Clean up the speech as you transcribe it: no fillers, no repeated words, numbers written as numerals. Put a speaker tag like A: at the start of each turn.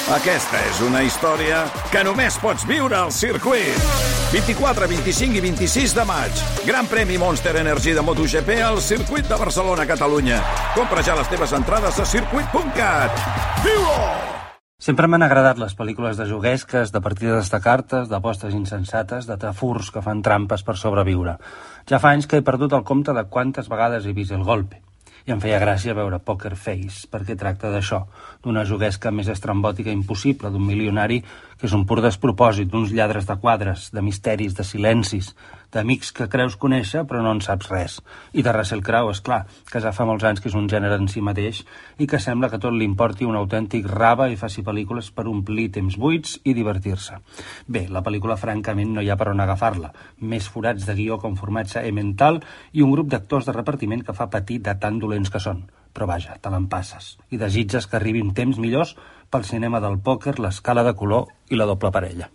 A: Aquesta és una història que només pots viure al circuit. 24, 25 i 26 de maig. Gran premi Monster Energy de MotoGP al circuit de Barcelona, Catalunya. Compra ja les teves entrades a circuit.cat. Viu-ho!
B: Sempre m'han agradat les pel·lícules de juguesques, de partides de cartes, d'apostes insensates, de tafurs que fan trampes per sobreviure. Ja fa anys que he perdut el compte de quantes vegades he vist El Golpe. I em feia gràcia veure Poker Face, perquè tracta d'això, d'una juguesca més estrambòtica impossible, d'un milionari que és un pur despropòsit, d'uns lladres de quadres, de misteris, de silencis, d'amics que creus conèixer però no en saps res. I de Russell Crowe, és clar, que ja fa molts anys que és un gènere en si mateix i que sembla que tot li importi un autèntic rave i faci pel·lícules per omplir temps buits i divertir-se. Bé, la pel·lícula francament no hi ha per on agafar-la. Més forats de guió com formatge mental i un grup d'actors de repartiment que fa patir de tan dolents que són. Però vaja, te l'empasses. I desitges que arribin temps millors pel cinema del pòquer, l'escala de color i la doble parella.